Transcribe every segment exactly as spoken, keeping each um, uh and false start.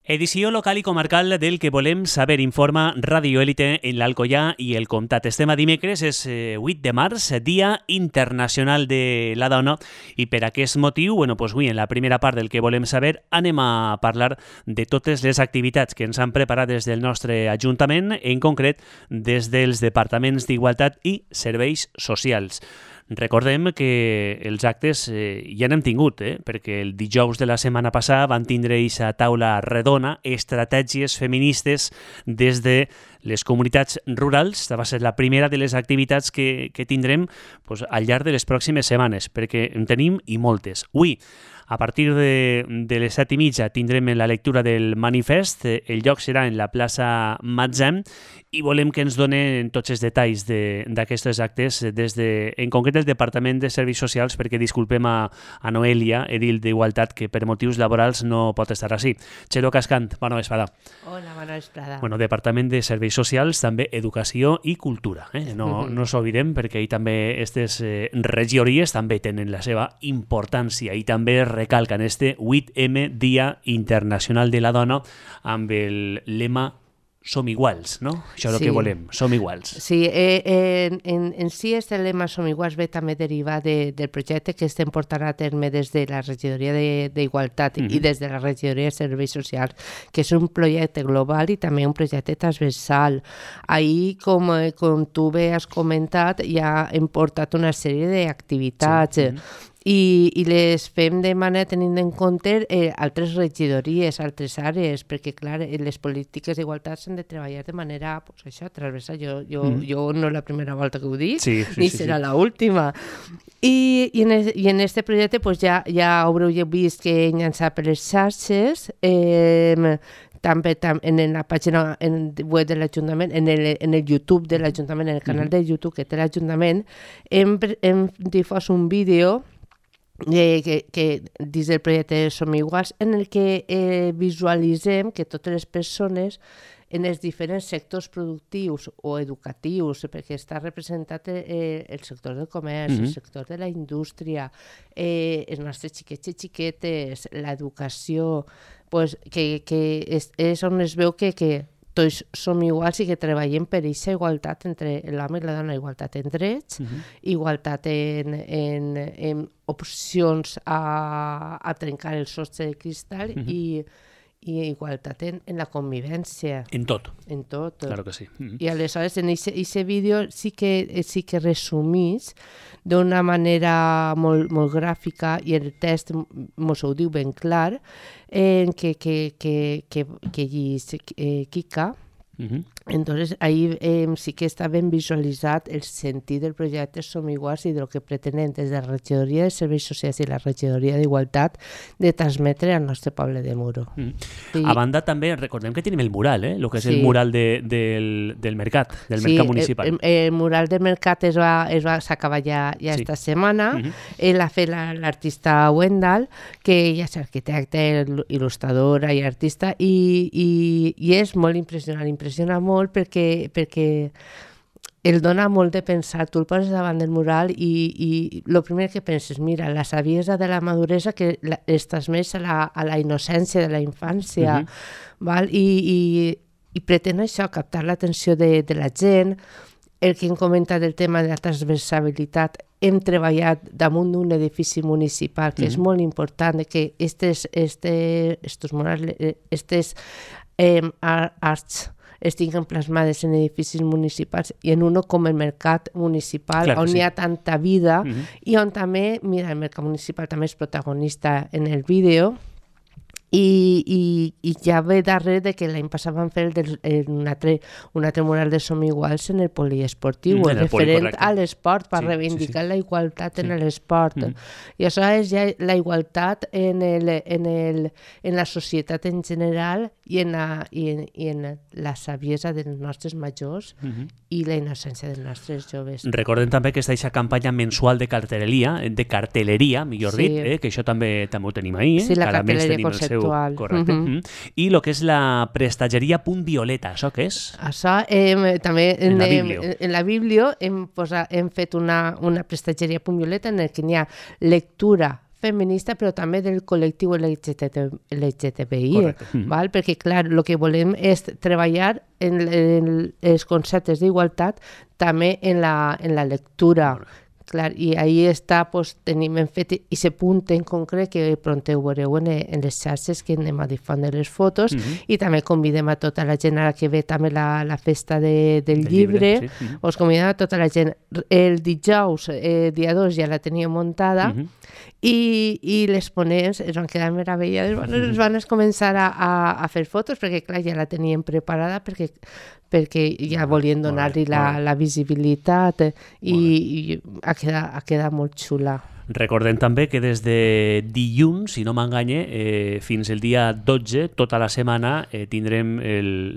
Edició local i comarcal del que volem saber, informa Radio Élite en l'Alcoià i el Comtat. Estem a dimecres, és vuit de març, Dia Internacional de la Dona, i per aquest motiu, bueno, doncs avui en la primera part del que volem saber anem a parlar de totes les activitats que ens han preparat des del nostre Ajuntament, en concret des dels Departaments d'Igualtat i Serveis Socials. Recordem que els actes eh, ja n'hem tingut, eh? perquè el dijous de la setmana passada van tindre aquesta taula redona, estratègies feministes des de les comunitats rurals. Va ser la primera de les activitats que, que tindrem pues, al llarg de les pròximes setmanes, perquè en tenim i moltes. Avui, a partir de, de les set i mitja tindrem la lectura del manifest, el lloc serà en la plaça Matzem i volem que ens donen tots els detalls d'aquestes de, actes des de, en concret el Departament de Serveis Socials, perquè disculpem a, a Noelia, edil d'Igualtat, que per motius laborals no pot estar així. Txelo Cascant, bona vesprada. Hola, bona vesprada. Bueno, Departament de Serveis Socials, també Educació i Cultura. Eh? No, mm-hmm. no s'oblidem, perquè ahir també aquestes eh, regidories també tenen la seva importància i també recalquen este vuit eme Dia Internacional de la Dona amb el lema Som iguals, no? Això és sí. el que volem, som iguals. Sí, eh, en, en, en si este lema Som iguals ve també derivar de, del projecte que estem portant a terme des de la Regidoria d'Igualtat de, mm-hmm. i des de la Regidoria de Serveis Socials, que és un projecte global i també un projecte transversal. Ahir, com, com tu bé has comentat, ja hem portat una sèrie d'activitats, sí. mm-hmm. I, i les fem de manera tenint en compte eh, altres regidories, altres àrees, perquè clar, les polítiques d'igualtat s'han de treballar de manera pues, això, transversal. Jo, jo, mm. jo no és la primera volta que ho dic, sí, sí, ni sí, serà sí. l'última. I, i, en es, I en este projecte pues, ja, ja haureu vist que he llançat per les xarxes, eh, també tam, en la pàgina en web de l'Ajuntament, en, el, en el YouTube de l'Ajuntament, en el canal mm-hmm. de YouTube que té l'Ajuntament, hem, hem difós un vídeo Eh, que, que dins del projecte Som Iguals, en el que eh, visualitzem que totes les persones en els diferents sectors productius o educatius, perquè està representat eh, el sector del comerç, mm-hmm. el sector de la indústria, eh, els nostres xiquets i xiquetes, l'educació, pues, que, que és, és on es veu que, que tots som iguals i que treballem per aquesta igualtat entre l'home i la dona, igualtat en drets, uh-huh. igualtat en, en, en opcions a, a trencar el sostre de cristall uh-huh. i, i igualtat en, en la convivència. En tot. En tot. Claro que sí. Uh-huh. I aleshores en aquest vídeo sí que, sí que resumís d'una manera molt, molt gràfica i el text mos ho diu ben clar, en que, que, que, que, que llis eh, Kika. Uh-huh. Entonces ahí eh, sí que està ben visualitzat el sentit del projecte Som Iguals i del que pretenem des de la Regidoria de Serveis Socials i la Regidoria d'Igualtat de transmetre al nostre poble de Muro. Mm. Sí. A banda també recordem que tenim el mural, eh? el que és sí. el mural de, del, del mercat, del sí, mercat municipal. El, el, el mural del mercat es va, es va s'acaba ja, ja sí. esta setmana. Uh-huh. Ell ha fet la, l'artista Wendell, que ja és arquitecte, il·lustradora i artista, i, i, i és molt impressionant, impressiona molt perquè, perquè el dona molt de pensar. Tu el poses davant del mural i, i el primer que penses, mira, la saviesa de la maduresa que la, es transmet a la, a la innocència de la infància, uh-huh. val? I, i, i pretén això, captar l'atenció de, de la gent. El que hem comentat del tema de la transversalitat, hem treballat damunt d'un edifici municipal, que uh-huh. és molt important, que estes, este, estos murals, estes eh, arts estiguen plasmades en edificis municipals i en uno com el mercat municipal, claro, on sí. hi ha tanta vida uh-huh. i on també, mira, el mercat municipal també és protagonista en el vídeo. I, i, i ja ve darrere de que l'any passat van fer el del, el, un, altre, un altre mural de Som Iguals en el poliesportiu, mm, el referent a l'esport, per sí, reivindicar sí, sí. la igualtat sí. en l'esport. Mm. I això és ja la igualtat en, el, en, el, en la societat en general i en la, i en, i en la saviesa dels nostres majors mm-hmm. i la innocència dels nostres joves. Recordem també que està aquesta campanya mensual de cartelleria, de cartelleria, millor sí. dit, eh? que això també també ho tenim ahir. Eh? Sí, la cartelleria conceptual. Correcte. Uh-huh. Mm-hmm. I el que és la prestatgeria Punt Violeta, això què és? Això eh, també en, en la Biblio, en, en la Biblio hem, posat, hem fet una, una prestatgeria Punt Violeta en el que hi ha lectura feminista, però també del col·lectiu L G T B I, val? Perquè, clar, el que volem és treballar en, en els conceptes d'igualtat també en la, en la lectura. Clar, i ahí està, pues, tenim fet aquest punt en concret que pront ho veureu en, en les xarxes que anem a difondre les fotos, uh-huh. i també convidem a tota la gent ara que ve també la, la festa de, del de llibre, llibre sí. uh-huh. us convidem a tota la gent. El dijous, eh, dia dos, ja la tenia muntada, uh-huh. i, i les ponents es van quedar meravellades, uh-huh. es van començar a, a, a fer fotos, perquè clar, ja la tenien preparada, perquè perquè ja volien donar-li la, la visibilitat i, i ha, quedat, ha quedat molt xula. Recordem també que des de dilluns, si no m'enganye, eh, fins el dia dotze, tota la setmana, eh, tindrem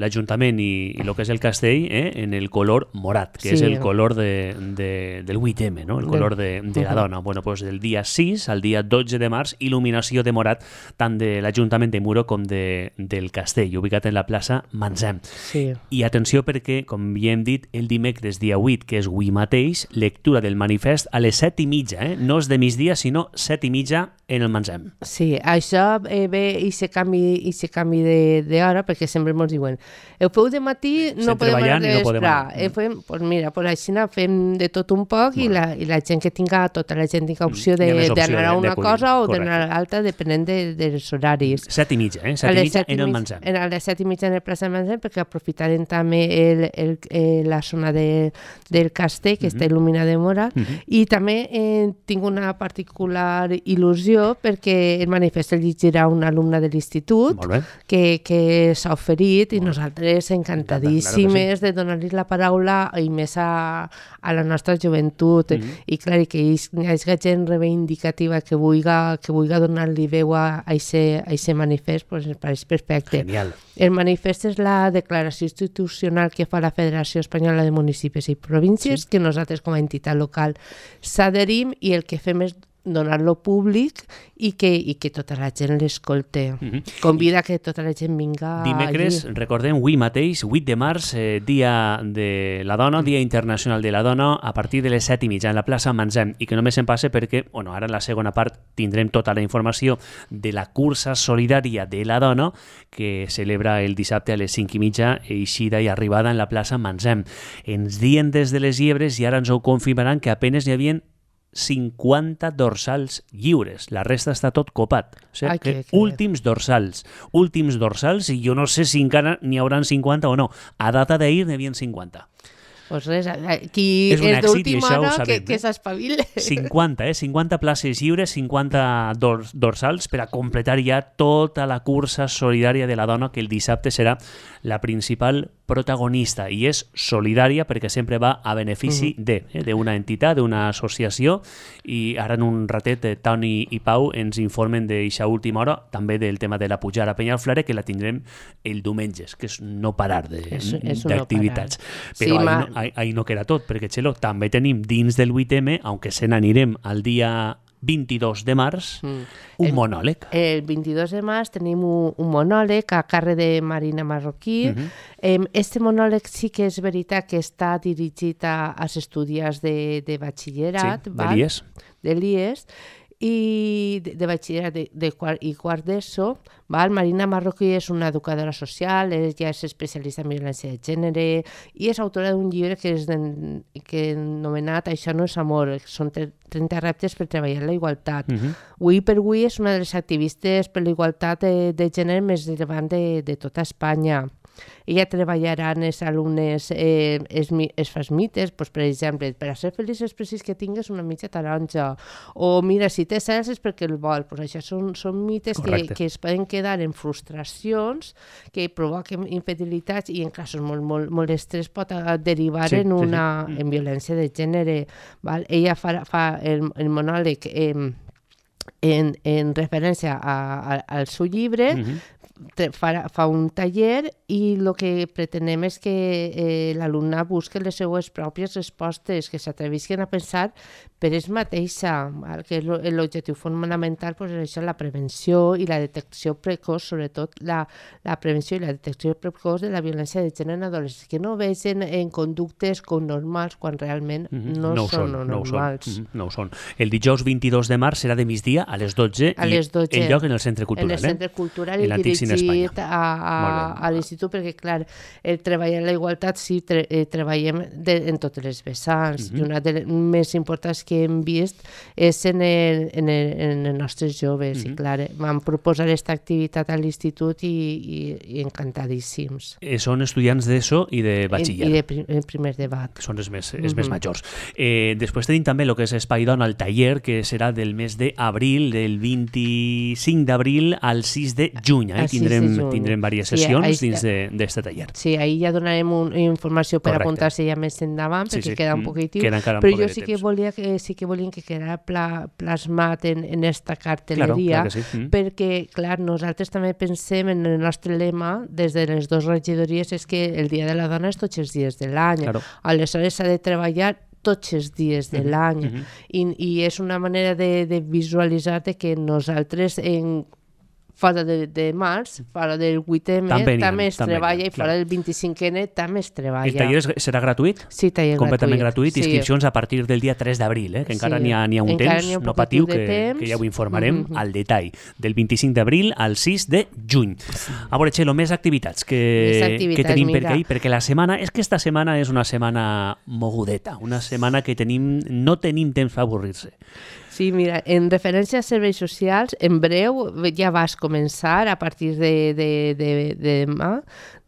l'Ajuntament i, i el que és el castell eh, en el color morat, que sí. és el color de, de, del vuit eme, no? El color de, de la dona. Bueno, pues del dia sis al dia dotze de març, il·luminació de morat tant de l'Ajuntament de Muro com de, del castell, ubicat en la plaça Manzem. Sí. I atenció perquè, com ja hem dit, el dimecres dia vuit, que és avui mateix, lectura del manifest a les set i mitja, eh? No és de migdia, sinó set i mitja en el Manzem. Sí, això eh, ve i se canvi, i se canvi d'hora, perquè sempre ens diuen ho feu de matí, no podem anar de vespre. No fem, pues mira, pues així fem de tot un poc bueno. i, la, i la gent que tinga, tota la gent tinga opció d'anar a una cosa o d'anar a l'altra, depenent de, dels horaris. Set i mitja, eh? Set i mitja en el Manzem. A les set i mitja en el plaça Manzem, perquè aprofitarem també el, el, el, la zona de, del castell, que uh-huh. està il·luminada de morat, uh-huh. i també eh, tinc una particular il·lusió perquè el manifest el llegirà una alumna de l'institut que, que s'ha oferit i nosaltres encantadíssimes de donar-li la paraula i més a, a la nostra joventut mm-hmm. i clar, que hi hagi gent reivindicativa que vulgui, que vulgui donar-li veu a aquest manifest, pues ens pareix perfecte. Genial. El manifest és la declaració institucional que fa la Federació Espanyola de Municipis i Províncies, sí. que nosaltres com a entitat local s'adherim i el que fem és donar-lo públic i que, i que tota la gent l'escolte. Mm-hmm. Convida que tota la gent vinga dimecres, allí. Recordem, avui mateix, vuit de març, eh, dia de la dona, Dia Internacional de la Dona, a partir de les set i mitja en la plaça Manzem, i que només em passe perquè, bueno, ara en la segona part tindrem tota la informació de la cursa solidària de la dona que celebra el dissabte a les cinc i mitja, eixida i arribada en la plaça Manzem. Ens diuen des de les Llebres, i ara ens ho confirmaran, que apenes n'hi havia cinquanta dorsals lliures, la resta està tot copat. O sigui, Ai, que, que últims dorsals, últims dorsals, i jo no sé si encara n'hi hauran cinquanta o no. A data d'ahir n'hi havia cinquanta. Pues res, qui és, és d'última hora sabem, que, que s'espavile. cinquanta, eh? cinquanta places lliures, cinquanta dors, dorsals per a completar ja tota la cursa solidària de la dona, que el dissabte serà la principal protagonista, i és solidària perquè sempre va a benefici uh-huh. de, eh, d'una entitat, d'una associació, i ara en un ratet eh, Toni i Pau ens informen d'eixa última hora, també del tema de la pujada a Penyalflare, que la tindrem el diumenge, que és no parar d'activitats. No Però sí, ahí, no, ahí, ahí no queda tot, perquè Txelo, també tenim dins del vuit eme, aunque se n'anirem al dia vint-i-dos de març, mm. un el, monòleg. El vint-i-dos de març tenim un, un monòleg a càrrec de Marina Marroquí. Uh-huh. Eh, este monòleg sí que és veritat que està dirigit a, als estudiants de, de batxillerat. Sí, de l'I E S. De l'I E S. I de, de batxillerat de, de quart, i quart d'ESO. Val? Marina Marroquí és una educadora social, ella és especialista en violència de gènere i és autora d'un llibre que és den, que anomenat Això no és amor, són trenta reptes per treballar la igualtat. Uh-huh. Avui per avui és una de les activistes per la igualtat de, de gènere més rellevant de, de tota Espanya. Ella treballarà amb els alumnes eh, els, els fas mites, doncs, per exemple, per a ser feliç és precís que tingues una mitja taronja, o mira, si té cels és perquè el vol. Doncs això són, són mites que, que es poden quedar en frustracions, que provoquen infidelitats i en casos molt, molt, molt estrès pot derivar sí, en una sí, sí. en violència de gènere. Val? Ella fa, fa el, el monòleg eh, en, en referència a, a, al seu llibre, uh-huh. fa, fa un taller i el que pretenem és que eh, l'alumne busqui les seues pròpies respostes, que s'atrevisquen a pensar per ells mateixa, val? Que l'objectiu fonamental pues, és això, la prevenció i la detecció precoç, sobretot la, la prevenció i la detecció precoç de la violència de gènere en adolescents, que no vegin en conductes com normals quan realment mm-hmm. no, no són, són no normals. Mm-hmm. No ho són. El dijous vint-i-dos de març serà de migdia a les dotze a les dotze. I el lloc en el Centre Cultural. En el Centre Cultural eh? i dirigit a, a, a l'Institut, perquè clar, el treball en la igualtat sí, tre, eh, treballem de, en totes les vessants, mm-hmm. i una de les més importants que hem vist és en, el, en, el, en els nostres joves, mm-hmm. i clar, vam proposar aquesta activitat a l'Institut i, i, i encantadíssims. Eh, són estudiants d'ESO i de batxiller. I de prim, primer debat. Són els més, els mm-hmm. més majors. Eh, després tenim també el que és Espai Dona, el taller, que serà del mes d'abril, del vint-i-cinc d'abril al sis de juny. Eh? Tindrem, de juny. Tindrem diverses sessions sí, dins d'aquest taller. Sí, ahir ja donarem un, informació per apuntar-se ja més endavant, perquè sí, sí. queda un poquitiu, queda però jo sí que, volia que, sí que volíem que quedara pla, plasmat en, en esta cartelleria, claro, claro sí. mm. perquè, clar, nosaltres també pensem en el nostre lema, des de les dues regidories, és que el Dia de la Dona és tots els dies de l'any. Claro. Aleshores s'ha de treballar tots els dies de l'any. Uh-huh. I, I és una manera de, de visualitzar que nosaltres en fora de, de març, fora del vuit eme, també, també es també treballa, i fora del vint-i-cinc ene també es treballa. El taller serà gratuït? Sí, taller completament gratuït. gratuït. Sí. Inscripcions a partir del dia tres d'abril, eh? que encara sí. n'hi ha, n'hi ha un encara temps, ha un no patiu, que, que ja ho informarem mm-hmm. al detall. Del vint-i-cinc d'abril al sis de juny. Sí. A veure, Txelo, més activitats que, més activitats, que tenim per aquí, perquè la setmana, és que esta setmana és una setmana mogudeta, una setmana que tenim, no tenim temps per avorrir-se. Sí, mira, en referència a serveis socials, en breu ja vas començar a partir de, de, de, de demà,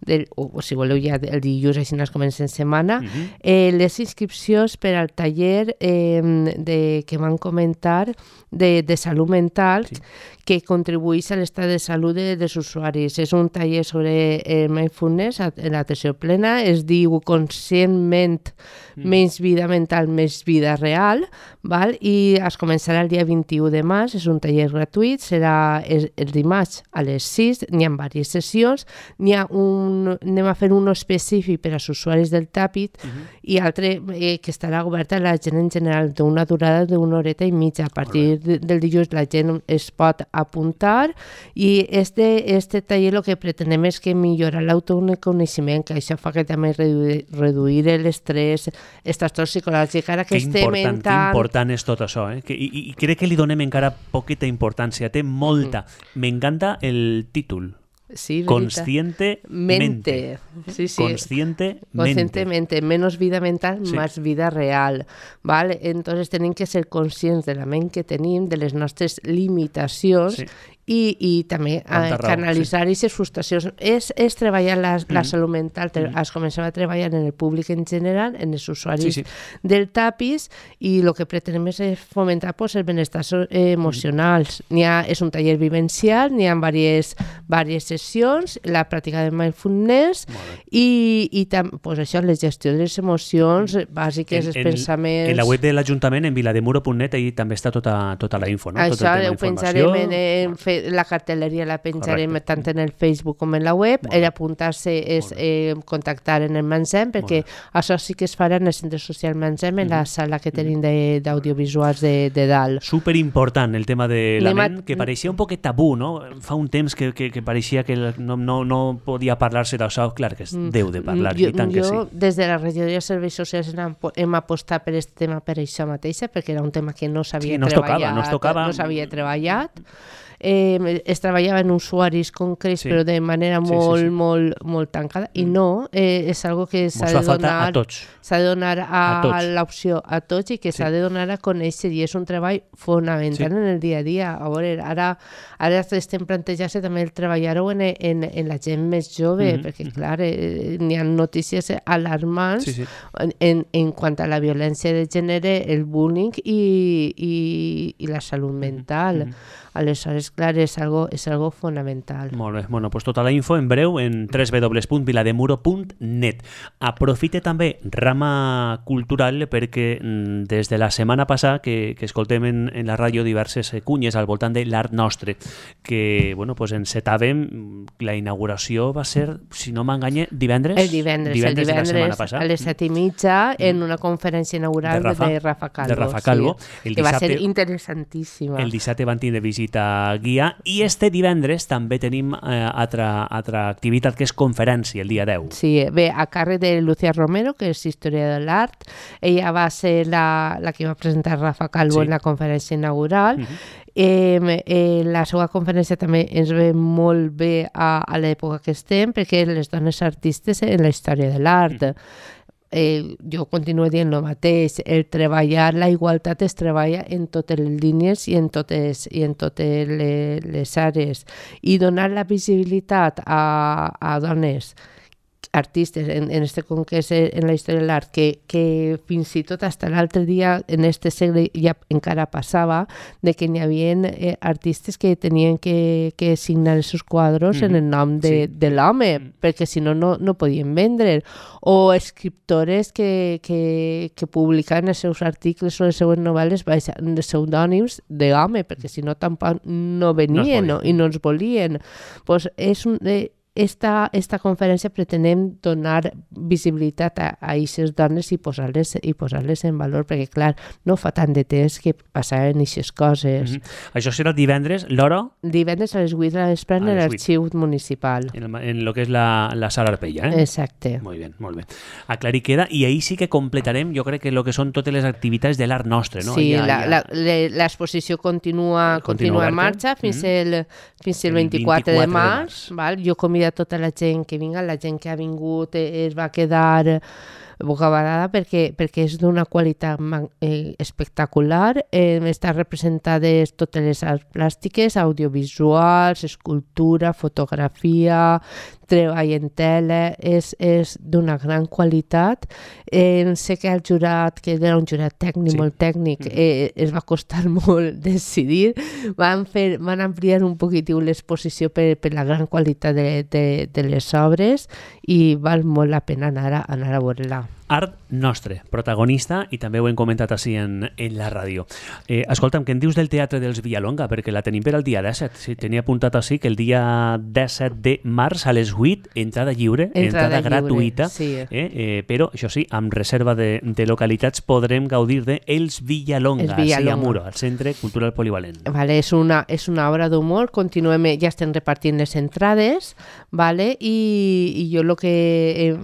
del, o, o si voleu ja el dilluns, així ens comencem setmana, uh-huh. eh, les inscripcions per al taller eh, de, que van comentar de, de salut mental, sí. que contribueix a l'estat de salut de, dels usuaris. És un taller sobre eh, mindfulness en l'atenció plena, es diu Conscientment, mm. menys vida mental, més vida real, val? I es començarà el dia vint-i-u de març, és un taller gratuït, serà el, el dimarts a les sis, n'hi ha diverses sessions, n'hi ha un, anem a fer un específic per als usuaris del Tàpit mm-hmm. i altre eh, que estarà obert a la gent en general, d'una durada d'una horeta i mitja. A partir de, del dilluns la gent es pot apuntar i este, este taller el que pretenem és que millorar l'autoconeixement, que això fa que també reduir, reduir l'estrès, els trastorns psicològics, ara que, que estem en tant... Que important és tot això, eh? Que, i, i crec que li donem encara poqueta importància, té molta. Mm. M'encanta el títol. Sí, conscientemente. Mente. Sí, sí. Conscientemente. Conscientemente. Menos vida mental, sí. más vida real. ¿Vale? Entonces tenim que ser conscients de la ment que tenim, de les nostres limitacions, sí. i, i també eh, canalitzar aquestes sí. frustracions. És, és treballar la, la mm. salut mental, mm. es comencem a treballar en el públic en general, en els usuaris sí, sí. del Tàpis, i el que pretenem és fomentar pues, el benestar emocionals. Mm. N'hi ha, és un taller vivencial, n'hi ha diverses, diverses sessions, la pràctica de mindfulness i, i tam, pues, això, la gestió de les emocions bàsiques, en, els pensaments... En la web de l'Ajuntament, en vilademuro punt net, ahí també està tota, tota la info, no? Això tot ho pensarem en, en fer la cartelleria la penjarem Correcte. Tant en el Facebook com en la web. El apuntar-se és eh, contactar en el Mansem, perquè això sí que es farà en el Centre Social Mansem, en mm. la sala que tenim de, d'audiovisuals de, de dalt. Superimportant el tema de la ment, que pareixia un poquet tabú, no? Fa un temps que, que, que pareixia que no, no, no podia parlar-se d'això. Clar que es deu de parlar, jo, i tant que sí. Jo, des de la regidoria de serveis socials hem, hem apostat per aquest tema per això mateixa, perquè era un tema que no s'havia sí, no treballat. Tocava, no, tocava. no s'havia treballat. Eh, es treballava en usuaris concrets, sí. però de manera molt, sí, sí, sí. molt, molt tancada, mm. i no, eh, és algo que s'ha de donar a tots. S'ha de donar a, a, a l'opció a tots i que sí. s'ha de donar a conèixer, i és un treball fonamental sí. en el dia a dia. A veure, ara, ara estem plantejant-se també el treballar-ho en, en, en la gent més jove, mm-hmm. perquè clar, eh, n'hi ha notícies alarmants sí, sí. En, en quant a la violència de gènere, el bullying i, i, i la salut mental. Mm-hmm. Aleshores, clar, és algo, és algo fonamental. Molt bé, bueno, pues tota la info en breu en w w w punt vilademuro punt net. Aprofite també rama cultural perquè des de la setmana passada que, que escoltem en, en la ràdio diverses cunyes al voltant de l'art nostre, que bueno, pues encetàvem, la inauguració va ser, si no m'enganye, divendres? El divendres, divendres, el divendres a les set i mitja en una conferència inaugural de Rafa, de Rafa Calvo. De Rafa Calvo. Sí, el que dissabte, va ser interessantíssima. El dissabte van tindre visita guia i este divendres també tenim eh, altra, altra activitat que és conferència, el dia deu. Sí, bé, a càrrec de Lucía Romero, que és història de l'art, ella va ser la, la que va presentar Rafa Calvo sí. en la conferència inaugural. Uh-huh. Eh, eh, la seva conferència també ens ve molt bé a, a l'època que estem, perquè les dones artistes en la història de l'art. Mm. Eh, jo continuo dient el mateix, el treballar, la igualtat es treballa en totes les línies i en totes, i en totes les, les àrees. I donar la visibilitat a, a dones artistes, en, en este concret en la història de l'art, que, que fins i tot fins l'altre dia, en este segle, ja encara passava, de que n'hi havia eh, artistes que tenien que, que signar els seus quadros mm-hmm. en el nom de, sí. de l'home, mm. perquè si no, no, no podien vendre. O escriptores que, que, que publicaven els seus articles o les seues novel·les baixant els pseudònims d'home, perquè si no tampoc no venien no no, i no ens volien. Pues és un... Eh, Esta, esta conferència pretenem donar visibilitat a aquestes dones i posar-les, i posar-les en valor, perquè, clar, no fa tant de temps que passaven aquestes coses. Mm-hmm. Això serà divendres, l'hora? Divendres a les vuit de la vespre en l'arxiu municipal. En, el, en lo que és la, la sala Arpella, eh? Exacte. Molt bé, molt bé. Aclarir queda, i ahir sí que completarem, jo crec que el que són totes les activitats de l'art nostre, no? Sí, ja, la, ja... la, l'exposició continua, continua, continua en marxa fins, mm-hmm. el, fins el vint-i-quatre de març. Val? Jo convido a tota la gent que vinga, la gent que ha vingut es va quedar bocabadada perquè, perquè és d'una qualitat eh, espectacular. Eh, estan representades totes les arts plàstiques, audiovisuals, escultura, fotografia, treball en tele, és, és d'una gran qualitat. Eh, sé que el jurat, que era un jurat tècnic, sí. molt tècnic, eh, es va costar molt decidir. Van, fer, van ampliar un poquitiu l'exposició per, per la gran qualitat de, de, de les obres i val molt la pena anar a, anar a veure-la. Art nostre, protagonista, i també ho hem comentat així en, en la ràdio. Eh, escolta'm, què en dius del Teatre dels Villalonga? Perquè la tenim per al dia disset. Sí, tenia apuntat així que el dia disset de març a les vuit, entrada lliure, entrada, entrada gratuïta, sí. eh, eh, però, això sí, amb reserva de, de localitats podrem gaudir de Els Villalonga, Villalonga. a Muro, al Centre Cultural Polivalent. Vale, és una, és una obra d'humor, continuem, ja estem repartint les entrades, vale? I, i jo el que eh,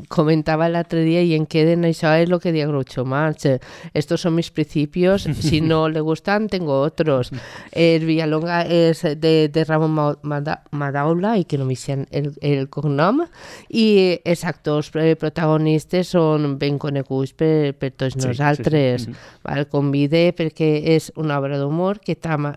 comentava l'altre día y en queden, això es lo que digo Groucho Marx, estos son mis principios, si no le gustan tengo otros. El Villalonga és de, de Ramon Madaula, i que no m'hi el, el cognom, i els actors protagonistes són ben coneguts per, per tots sí, nosaltres. Sí, sí. El convide perquè és una obra d'humor que tama,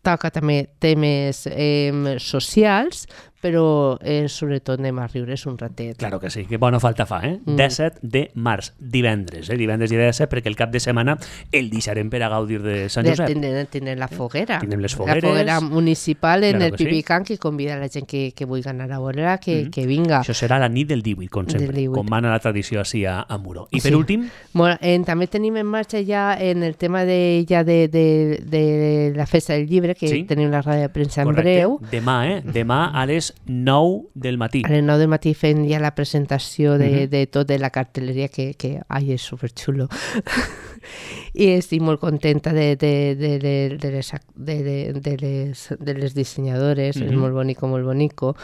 toca també temes eh, socials, però eh, sobretot anem a riure's un ratet. Claro que sí, que bona falta fa, eh? Mm. disset de març, divendres, eh? Divendres i disset, perquè el cap de setmana el deixarem per a gaudir de Sant Josep. Tindrem, tindrem la foguera. Tindrem les fogueres. La foguera municipal en claro el Pipicán, sí. que convida la gent que, que vulgui anar a veure que, mm. que vinga. Això serà la nit del divuit, com sempre, com mana la tradició així a, a Muro. I per sí. últim... Bueno, eh, també tenim en marxa ja en el tema de, ja de, de, de la festa del llibre, que sí. tenim la ràdio de premsa en breu. Demà, eh? Demà a les nou del matí. A les nou del matí fent ja la presentació de, uh-huh. de tot de la cartelleria que, que ai, és superxulo. I estic molt contenta de, de, de, de, de, les, de, de, de, les, de les dissenyadores, uh-huh. és molt bonico, molt bonico.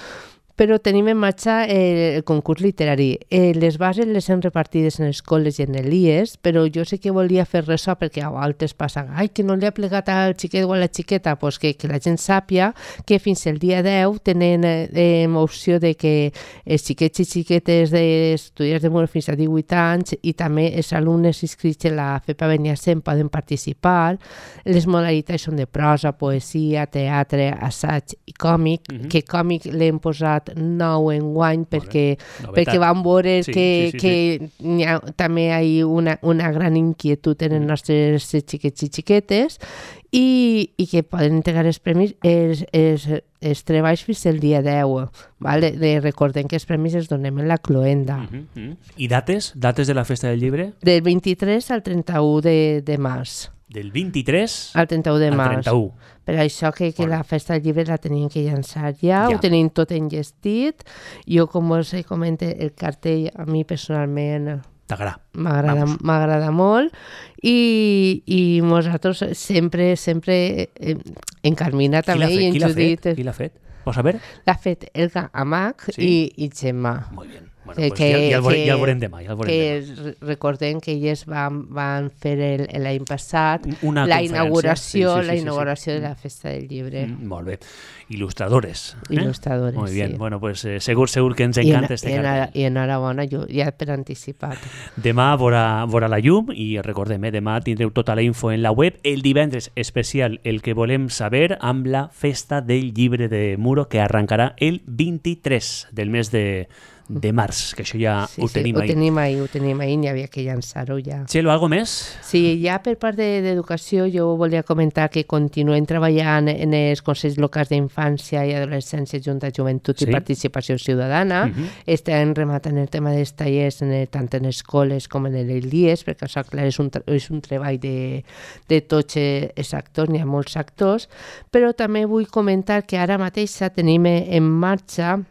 Però tenim en marxa eh, el concurs literari. Eh, les bases les hem repartides en les escoles i en l'I E S, però jo sé que volia fer ressò perquè a vegades passa, ai, que no li ha plegat al xiquet o a la xiqueta, pues que, que la gent sàpia que fins el dia deu tenen eh, opció de que els xiquets i xiquetes d'estudiants de Muro fins a divuit anys i també els alumnes inscrits en la FEPA Beniassem poden participar. Les modalitats són de prosa, poesia, teatre, assaig i còmic, uh-huh. que còmic l'hem posat posat nou enguany perquè, perquè vam veure sí, que, sí, sí, que sí. Hi ha, també hi ha una, una gran inquietud en els nostres xiquets i xiquetes i, i que poden entregar els premis els, els, els treballs fins al dia deu. Vale? De, recordem que els premis els donem en la cloenda. Uh -huh, uh -huh. I dates? Dates de la Festa del Llibre? Del vint-i-tres al trenta-u de, de març. Del vint-i-tres al trenta-u de març. trenta-u. Per això que, que la Festa del Llibre la tenim que llançar ja, ja. Ho tenim tot enllestit. Jo, com us comenté, el cartell a mi personalment t'agrada. M'agrada, m'agrada molt i, i nosaltres sempre, sempre en Carmina també i en qui Judit. Qui l'ha fet? Pots saber? L'ha fet Elga Amac sí? i, i Gemma. Molt bé. Bueno, que, pues ja, ja, el veurem, ja el veurem demà. Ja el veurem que demà. Recordem que ells van, van fer l'any passat una la inauguració, sí, sí, sí, la inauguració sí, sí. de la Festa del Llibre. Mm, molt bé. Il·lustradores. Eh? Il·lustradores, Molt bé. sí. Bueno, pues, eh, segur, segur que ens encanta este cartell. I enhorabona, ja per anticipat. Demà veurà, veurà la llum i recordem, eh, demà tindreu tota la info en la web. El divendres especial, el que volem saber, amb la Festa del Llibre de Muro, que arrencarà el vint-i-tres del mes de de març, que això ja sí, ho sí, tenim ho ahí. tenim ahí. Ho tenim ahí, n'hi havia que llançar-ho ja. Txelo, algo més? Sí, ja per part d'educació jo volia comentar que continuem treballant en els Consells Locals d'Infància i Adolescència, Junta, Joventut sí? i Participació Ciutadana. Uh -huh. Estem rematant el tema dels tallers en el, tant en escoles com en els dies, perquè això, clar, és un, és un treball de, de tots els actors, n'hi ha molts actors, però també vull comentar que ara mateix tenim en marxa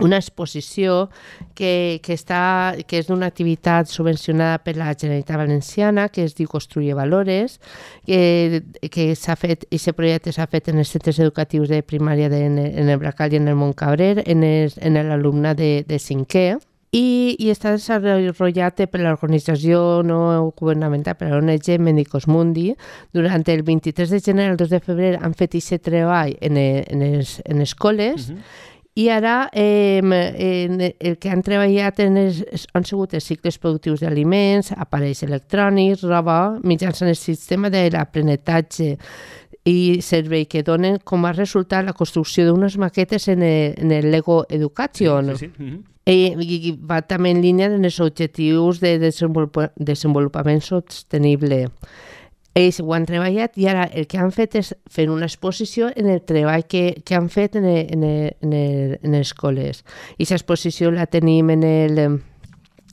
una exposició que, que, està, que és d'una activitat subvencionada per la Generalitat Valenciana, que es diu Construye Valores, que, que s'ha fet, i aquest projecte s'ha fet en els centres educatius de primària de, en el Bracal i en el Montcabrer, en, el, en l'alumne de, de cinquè, i, i està desenvolupat per l'organització no governamental, per l'O N G Médicos Mundi. Durant el vint-i-tres de gener al dos de febrer han fet aquest treball en, en, les, en escoles, uh-huh. I ara eh, en el que han treballat en els, han sigut els cicles productius d'aliments, aparells electrònics, roba, mitjançant el sistema de l'aprenentatge i servei que donen com a resultat la construcció d'unes maquetes en el, en el Lego Education. Sí, sí, sí. Uh-huh. I, i va també en línia amb els objectius de desenvolup desenvolupament sostenible. Ells ho han treballat i ara el que han fet és fer una exposició en el treball que, que han fet en, el, en, el, en, el, en les escoles. I aquesta exposició la tenim en el,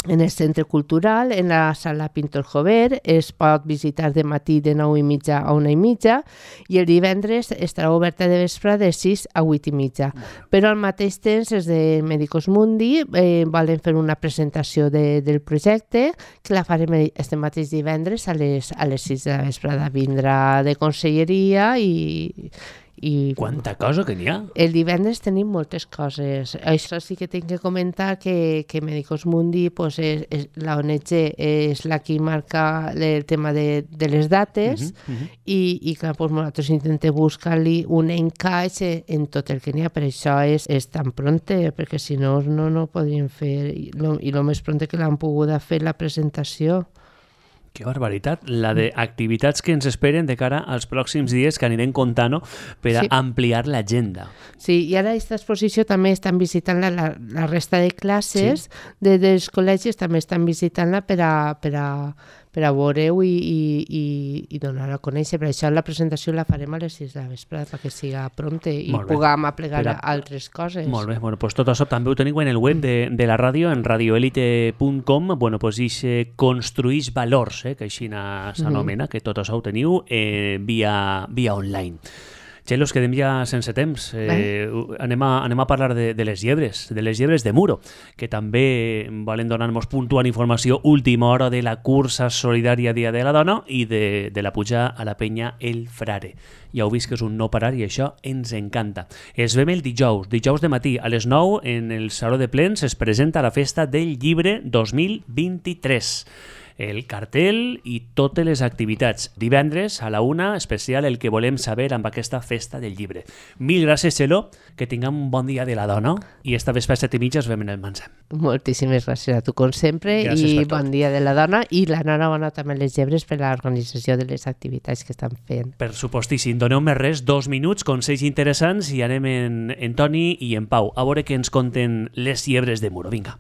en el Centre Cultural, en la sala Pintor Jover. Es pot visitar de matí de nou i mitja a una i mitja i el divendres estarà oberta de vespre de sis a vuit i mitja. Però al mateix temps els de Médicos Mundi eh, volen fer una presentació de, del projecte que la farem este mateix divendres a les, a les sis de la vesprada. Vindrà de conselleria i... I quanta cosa que n'hi ha. El divendres tenim moltes coses. Això sí que tinc que comentar que, que Médicos Mundi, pues, és, és, la O N G és la que marca el tema de, de les dates uh -huh, uh -huh. i, i clar, pues, nosaltres intentem buscar-li un encaix en tot el que n'hi ha. Per això és, és tan pronte, perquè si no, no, no podríem fer. I lo, i lo més pronte que l'han pogut fer la presentació. Que barbaritat, la d'activitats que ens esperen de cara als pròxims dies que anirem comptant, no? Per a sí. ampliar l'agenda. Sí, i ara aquesta exposició també estan visitant-la la, la resta de classes sí. de, dels col·legis, també estan visitant-la per a, per a, per a veure-ho i, i, i, i donar a conèixer. Per això la presentació la farem a les sis de la vesprada perquè siga prompte i puguem aplegar a... altres coses. Molt bé, bueno, pues tot això també ho teniu en el web de, de la ràdio, en radioelite punt com. Bueno, pues ixe construïix valors, eh, que així s'anomena, mm -hmm. que tot això ho teniu eh, via, via online. Txelo, ens quedem ja sense temps. Eh, anem, a, anem a parlar de, de les llebres, de les llebres de Muro, que també volen donar-nos puntual informació última hora de la cursa solidària Dia de la Dona i de, de la puja a la penya El Frare. Ja heu vist que és un no parar i això ens encanta. Es vem el dijous, dijous de matí, a les nou, en el Saló de Plens es presenta la Festa del Llibre dos mil vint-i-tres. el cartell i totes les activitats. Divendres a la una, especial El que volem saber amb aquesta festa del llibre. Mil gràcies, Txelo, que tinguem un bon dia de la dona i esta vespre a set i mitja us veiem en el Mansem. Moltíssimes gràcies a tu, com sempre, gràcies i bon dia de la dona i l'enhorabona també a les llebres per l'organització de les activitats que estan fent. Per supostíssim, doneu-me res, dos minuts, consells interessants i anem en, en Toni i en Pau a veure què ens conten les llebres de Muro. Vinga.